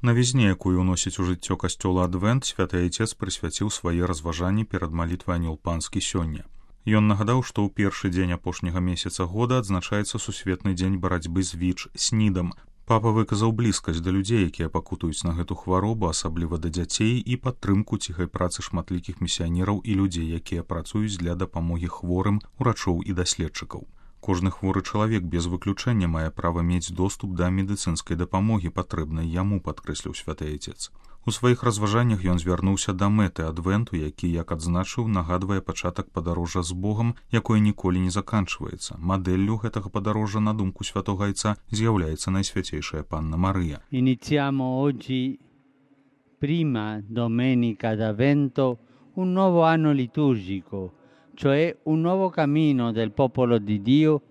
Навізне, якую ўносіць у жыццё касцёла адвент, святы айцец прысвяціў свае разважанні перад малітвай анёл панскі сёння. Ён нагадаў, што ў першы дзень апошняга месяца года адзначаецца сусветны дзень барацьбы з ВІЧ-СНІДам. Папа выказаў блізкасць да людзей, якія пакутуюць на гэту хваробу, асабліва да дзяцей, і падтрымку ціхай працы шматлікіх місіянераў і людзей, якія працуюць для дапамогі хворым, урачоў і даследчыкаў. Кожны хворы чалавек без выключэння мае права мець доступ да медыцынскай дапамогі, патрэбнай яму, падкрэсліў святы айцец. У сваіх разважаннях ён звярнуўся да мэты адвенту, які, як адзначыў, нагадвае пачатак падарожжа з Богам, якое ніколі не заканчваецца. Мадэллю гэтага падарожжа, на думку святога айца, з'яўляецца найсвяцейшая Панна Марыя. Iniziamo oggi, prima domenica d'Avvento, un nuovo anno liturgico, cioè un nuovo cammino del popolo di Dio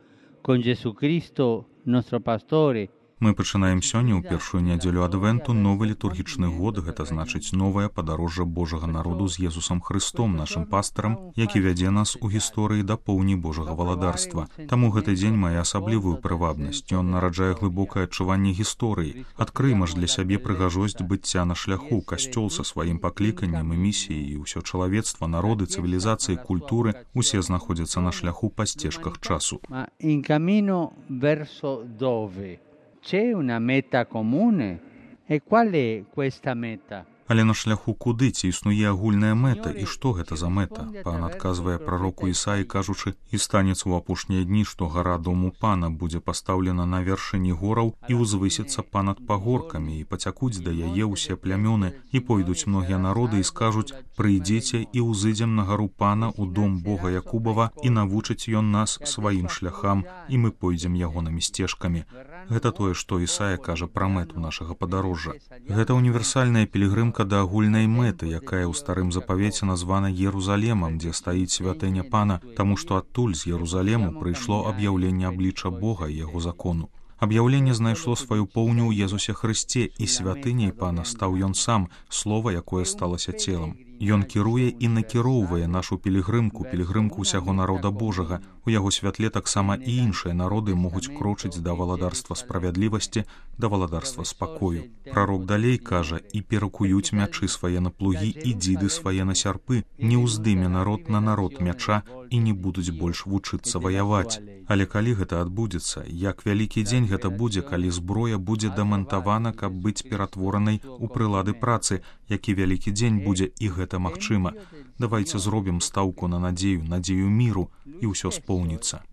con Gesù Cristo, nostro pastore. Мы пачынаем сёння, ў першую нядзелю адвенту, новы літургічны год, гэта значыць новае падарожжа Божага народу з Езусам Христом, нашым пастарам, які вядзе нас у гісторыі да поўні Божага валадарства. Таму гэты дзень мае асаблівую прывабнасць. Ён нараджае глыбокае адчуванне гісторыі. Адкрыйма ж для сябе прыгажосць быцця на шляху, касцёл са сваім пакліканнем і місіяй, і ўсё чалавецтва, народы, цывілізацыі, культуры, усе знаходзяцца на шляху па сцежках часу. C'è una meta comune? E qual è questa meta? Але на шляху куды, ці існуе агульная мэта, і што гэта за мэта? Пан адказвае прароку Ісаі, кажучы: «І станецца ў апошнія дні, што гара дому Пана будзе пастаўлена на вяршыні гораў і ўзвысіцца панад пагоркамі, і пацякуць да яе ўсе плямёны, і пойдуць многія народы і скажуць: прыйдзіце і ўзыдзем на гару Пана ў дом Бога Якубава, і навучыць ён нас сваім шляхам, і мы пойдзем ягонымі сцежкамі». Гэта тое, што Ісая кажа пра мэту нашага падарожжа. Гэта універсальная пілігрымка да агульнай мэты, якая ў старым запавеце названа Єрусалемам, дзе стаіць святыня Пана, таму што адтуль з Єрусалему прыйшло аб'яўленне аблічча Бога і яго закону. Аб'яўленне знайшло сваю поўню ў Езусе Хрысце, і святыняй Пана стаў ён сам, слова, якое сталася целам. Ён кіруе і накіроўвае нашу пілігрымку ўсяго народа Божага. У яго святле таксама і іншыя народы могуць крочыць да валадарства справядлівасці, да валадарства спакою. Прарок далей кажа: «І перакуюць мячы свае на плугі і дзіды свае на сярпы, не ўздыме народ на народ мяча і не будуць больш вучыцца ваяваць». Але калі гэта адбудзецца, як вялікі дзень гэта будзе, калі зброя будзе дамантавана, каб быць ператворанай у прылады працы, які вялікі дзень будзе, і гэта магчыма. Давайце зробім стаўку на надзею міру, і ўсё споўніцца.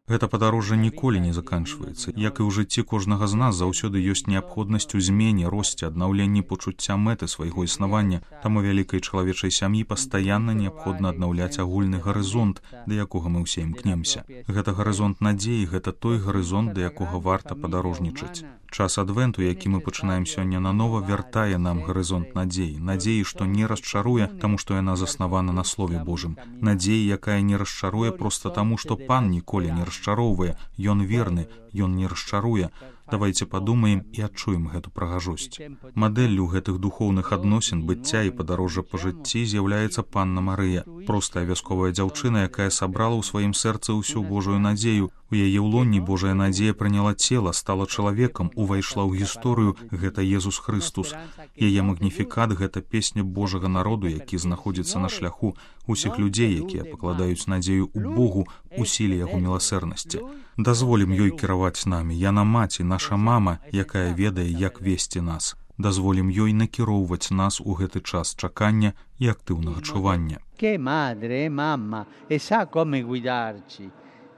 Гэта падарожжа ніколі не заканчваецца. Як і ў жыцці кожнага з нас, заўсёды ёсць неабходнасць у змене, росце, аднаўленні пачуцця мэты свайго існавання. Таму вялікай чалавечай сям'і пастаянна неабходна аднаўляць агульны гарызонт, да якога мы ўсе імкнемся. Гэта гарызонт надзеі, гэта той гарызонт, да якога варта падарожнічаць. Час адвенту, які мы пачынаем сёння нанова, вяртае нам гарызонт надзеі, што не расчаруе, таму што яна заснавана на Слове Божым. Надзеі, якая не расчаруе проста таму, што Пан ніколі не расчароўвае, ён верны, ён не расчаруе. Давайце падумаем і адчуем гэту прыгажосць. Мадэллю гэтых духоўных адносін, быцця і падарожжа па жыцці з'яўляецца Панна Марыя, простая вясковая дзяўчына, якая сабрала ў сваім сэрцы ўсю Божую надзею. У яе ўлонні Божая надзея прыняла цела, стала чалавекам, увайшла ў гісторыю, гэта Езус Хрыстус. Яе магніфікат — гэта песня Божага народу, які знаходзіцца на шляху, усіх людзей, якія пакладаюць надзею ў Богу, у сіле яго міласэрнасці. Дазволім ёй кіраваць намі, яна маці, наша мама, якая ведае, як весці нас. Дазволім ёй накіроўваць нас у гэты час чакання і актыўнага чування. Che madre, mamma, e sa come guidarci.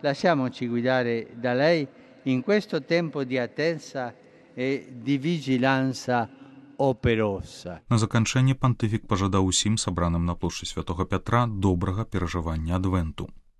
Lasciamoci guidare da lei in questo tempo di attesa e di vigilanza operosa. На заканчэнне пантыфік пажадаў усім сабраным на плошчы Святога Пятра добрага перажывання адвенту.